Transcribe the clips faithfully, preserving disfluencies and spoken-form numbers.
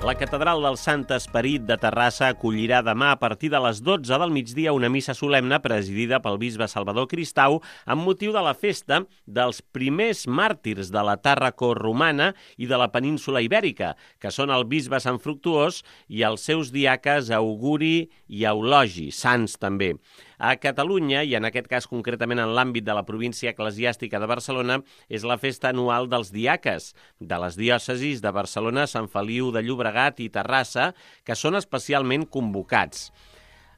La Catedral del Sant Esperit de Terrassa acollirà demà a partir de les dotze del migdia una missa solemne presidida pel bisbe Salvador Cristau amb motiu de la festa dels primers màrtirs de la Tàrraco romana i de la península ibèrica, que són el bisbe Sant Fructuós i els seus diaques Auguri i Eulogi, sants també. A Catalunya, i en aquest cas concretament en l'àmbit de la província eclesiàstica de Barcelona, és la festa anual dels diaques, de les diòcesis de Barcelona, Sant Feliu de Llobregat i Terrassa, que són especialment convocats.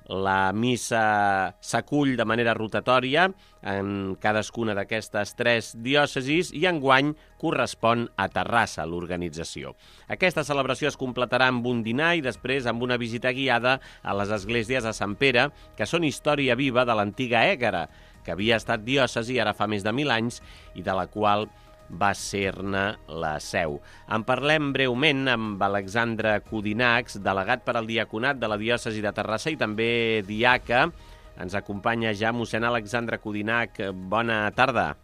La missa s'acull de manera rotatòria en cadascuna d'aquestes tres diòcesis i enguany correspon a Terrassa, l'organització. Aquesta celebració es completarà amb un dinar i després amb una visita guiada a les esglésies de Sant Pere, que són història viva de l'antiga Ègara, que havia estat diòcesi ara fa més de mil anys i de la qual va ser-ne la seu. En parlem breument amb Alexandre Codinacs, delegat per al diaconat de la diòcesi de Terrassa i també diaca. Ens acompanya ja mossèn Alexandre Codinac. Bona tarda.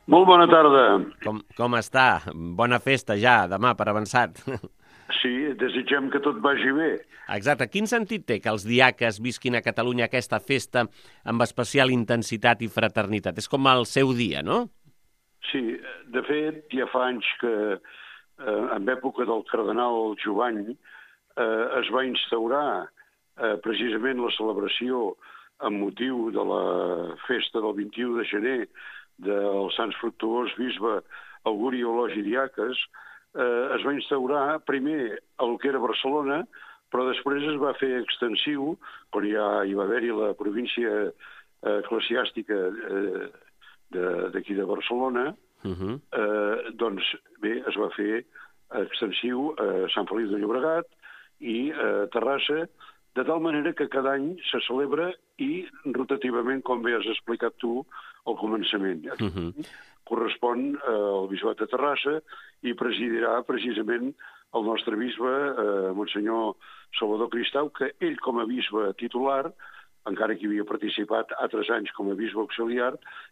Molt bona tarda. Com, com està? Bona festa ja, demà, per avançat. Sí, desitgem que tot vagi bé. Exacte. Quin sentit té que els diaques visquin a Catalunya aquesta festa amb especial intensitat i fraternitat? És com el seu dia, no? Sí, de fet, ja fa anys que, eh, en època del cardenal Jovany, eh, es va instaurar eh, precisament la celebració amb motiu de la festa del vint-i-u de gener del Sants Fructuós bisbe Auguri i Eulogi diaques. Eh, es va instaurar primer al que era Barcelona, però després es va fer extensiu, quan ja hi va haver-hi la província eh, eclesiàstica eh, d'aquí de, de Barcelona, uh-huh. eh, doncs bé, es va fer extensiu a Sant Feliu de Llobregat i a Terrassa, de tal manera que cada any se celebra i rotativament, com bé has explicat tu, al començament. Uh-huh. Correspon al bisbat de Terrassa i presidirà precisament el nostre bisbe, eh, Monsenyor Salvador Cristau, que ell com a bisbe titular, encara que hi havia participat altres anys com a bisbe auxiliar,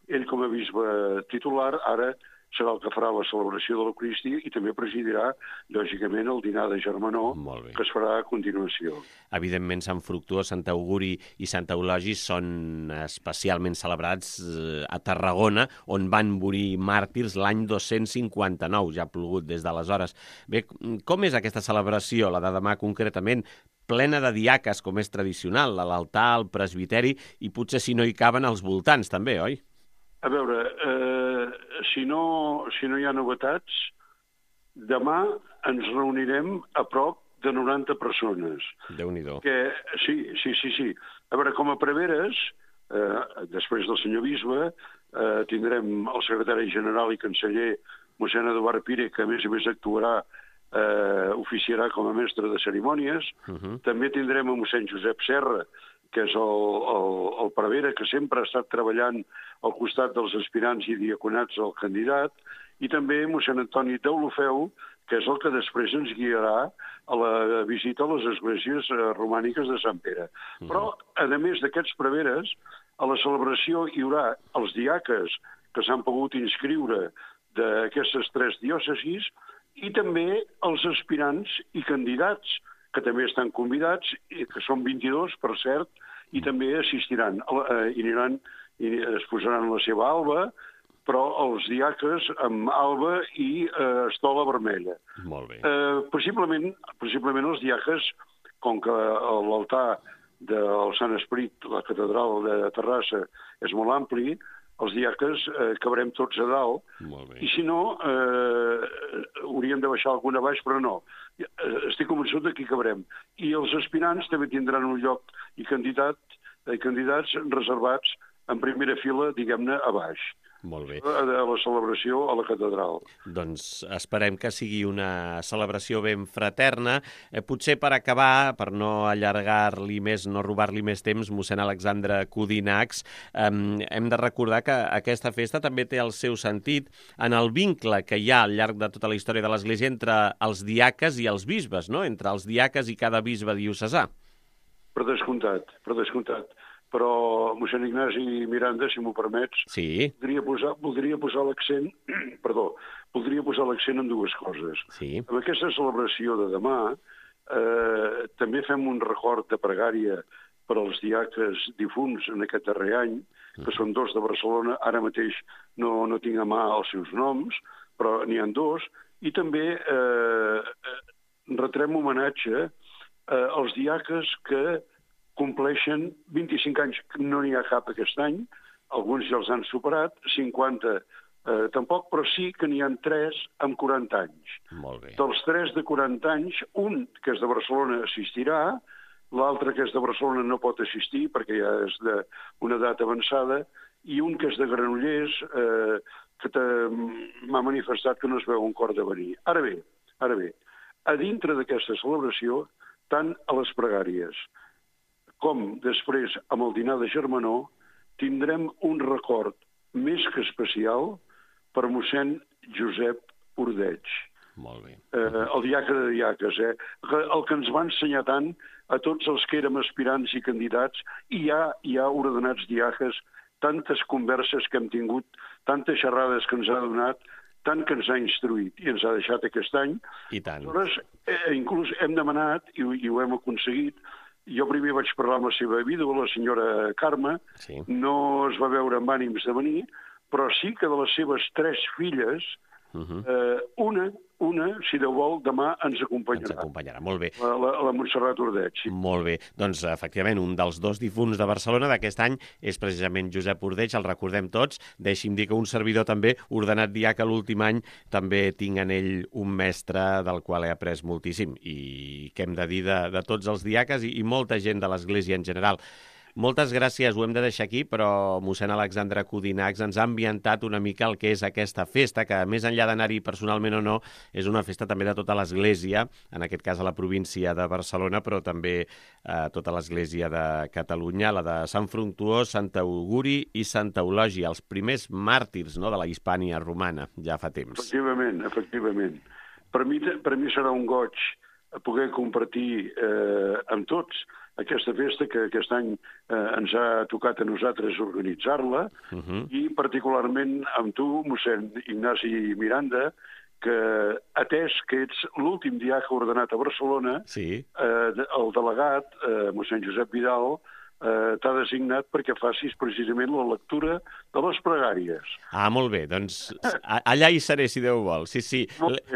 ell com a bisbe titular ara serà el que farà la celebració de l'Eucaristia i també presidirà, lògicament, el dinar de Germanor, que es farà a continuació. Evidentment, Sant Fructuós, Sant Auguri i Sant Eulogi són especialment celebrats a Tarragona, on van morir màrtirs l'any dos-cents cinquanta-nou, ja ha plogut des d'aleshores. Bé, com és aquesta celebració, la de demà concretament? Plena de diaques, com és tradicional, a l'altar, al presbiteri, i potser si no hi caben als voltants, també, oi? A veure, eh, si, no, si no hi ha novetats, demà ens reunirem a prop de noranta persones. Déu-n'hi-do. Que, sí, sí, sí, sí. A veure, com a preveres, eh, després del senyor bisbe, eh, tindrem el secretari general i canceller mossèn Eduard Pire, que a més a més actuarà Eh, oficiarà com a mestre de cerimònies. Uh-huh. També tindrem a mossèn Josep Serra, que és el, el, el prevere, que sempre ha estat treballant al costat dels aspirants i diaconats al candidat, i també mossèn Antoni Deulofeu, que és el que després ens guiarà a la visita a les esglésies romàniques de Sant Pere. Uh-huh. Però, a més d'aquests preveres, a la celebració hi haurà els diaques que s'han pogut inscriure d'aquestes tres diòcesis, i també els aspirants i candidats, que també estan convidats, que són vint-i-dos, per cert, i també assistiran, i aniran, i es posaran la seva alba, però els diaques amb alba i eh, estola vermella. Molt bé. Eh, possiblement, possiblement els diaques, com que l'altar del Sant Esperit, la catedral de Terrassa, és molt ampli, els diaques eh, cabrem tots a dalt, i si no, eh, hauríem de baixar alguna baix, però no. Estic convençut que hi cabrem. I els aspirants també tindran un lloc i candidat, eh, candidats reservats en primera fila, diguem-ne, a baix. Molt bé. A la celebració a la catedral. Doncs esperem que sigui una celebració ben fraterna. Eh, potser per acabar, per no allargar-li més, no robar-li més temps, mossèn Alexandre Codinacs, eh, hem de recordar que aquesta festa també té el seu sentit en el vincle que hi ha al llarg de tota la història de l'Església entre els diaques i els bisbes, no? Entre els diaques i cada bisbe diocesà. Per descomptat, per descomptat. però mossèn Ignasi Miranda, si m'ho permets, sí. voldria posar, voldria posar l'accent, perdó, voldria posar l'accent en dues coses. Sí. Amb aquesta celebració de demà eh, també fem un record de pregària per als diaques difunts en aquest darrer any, que són dos de Barcelona, ara mateix no, no tinc a mà els seus noms, però n'hi ha dos, i també eh, retrem homenatge eh, als diaques que compleixen vint-i-cinc anys, no n'hi ha cap aquest any, alguns ja els han superat, cinquanta eh, tampoc, però sí que n'hi ha tres amb quaranta anys. Molt bé. Dels tres de quaranta anys, un que és de Barcelona assistirà, l'altre que és de Barcelona no pot assistir perquè ja és d'una edat avançada, i un que és de Granollers eh, que m'ha manifestat que no es veu un cor de venir. Ara bé, ara bé, a dintre d'aquesta celebració, tant a les pregàries com després amb el dinar de germanor, tindrem un record més que especial per mossèn Josep Ordeig. Molt bé. Eh, el diaca de diaques, eh? El que ens va ensenyar tant a tots els que érem aspirants i candidats, i ja hi ha ordenats diaques, tantes converses que hem tingut, tantes xerrades que ens ha donat, tant que ens ha instruït i ens ha deixat aquest any. I tant. Aleshores, eh, inclús hem demanat, i, i ho hem aconseguit, jo primer vaig parlar amb la seva vídua, la senyora Carme, sí. No es va veure amb ànims de venir, però sí que de les seves tres filles, uh-huh. eh, una, una, si Déu vol, demà ens acompanyarà. Ens acompanyarà, molt bé. La, la, la Montserrat Ordeig. Sí. Molt bé. Doncs, efectivament, un dels dos difunts de Barcelona d'aquest any és precisament Josep Ordeig, el recordem tots. Deixi'm dir que un servidor també, ordenat diaca l'últim any, també tinc en ell un mestre del qual he après moltíssim i què hem de dir de, de tots els diaques i, i molta gent de l'Església en general. Moltes gràcies, ho hem de deixar aquí, però mossèn Alexandre Codinacs ens ha ambientat una mica el que és aquesta festa, que més enllà d'anar-hi personalment o no, és una festa també de tota l'Església, en aquest cas a la província de Barcelona, però també a tota l'Església de Catalunya, la de Sant Fructuós, Sant Auguri i Sant Eulogi, els primers màrtirs, no?, de la Hispània romana, ja fa temps. Efectivament, efectivament. Per mi, per mi serà un goig poder compartir eh, amb tots aquesta festa que aquest any eh, ens ha tocat a nosaltres organitzar-la, uh-huh. i particularment amb tu, mossèn Ignasi Miranda, que atès que ets l'últim diaca ordenat a Barcelona, sí. eh, el delegat, eh, mossèn Josep Vidal, eh, t'ha designat perquè facis precisament la lectura de les pregàries. Ah, molt bé, doncs allà hi seré, si Déu vol. Sí, sí,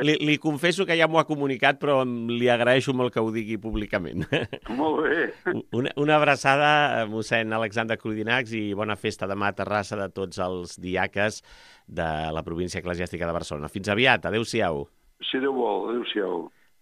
li, li confesso que ja m'ho ha comunicat, però li agraeixo molt que ho digui públicament. Molt bé. Una, una abraçada, mossèn Alexandre Codinacs, i bona festa demà a Terrassa de tots els diaques de la província eclesiàstica de Barcelona. Fins aviat, adéu-siau. Si Déu vol, adéu-siau.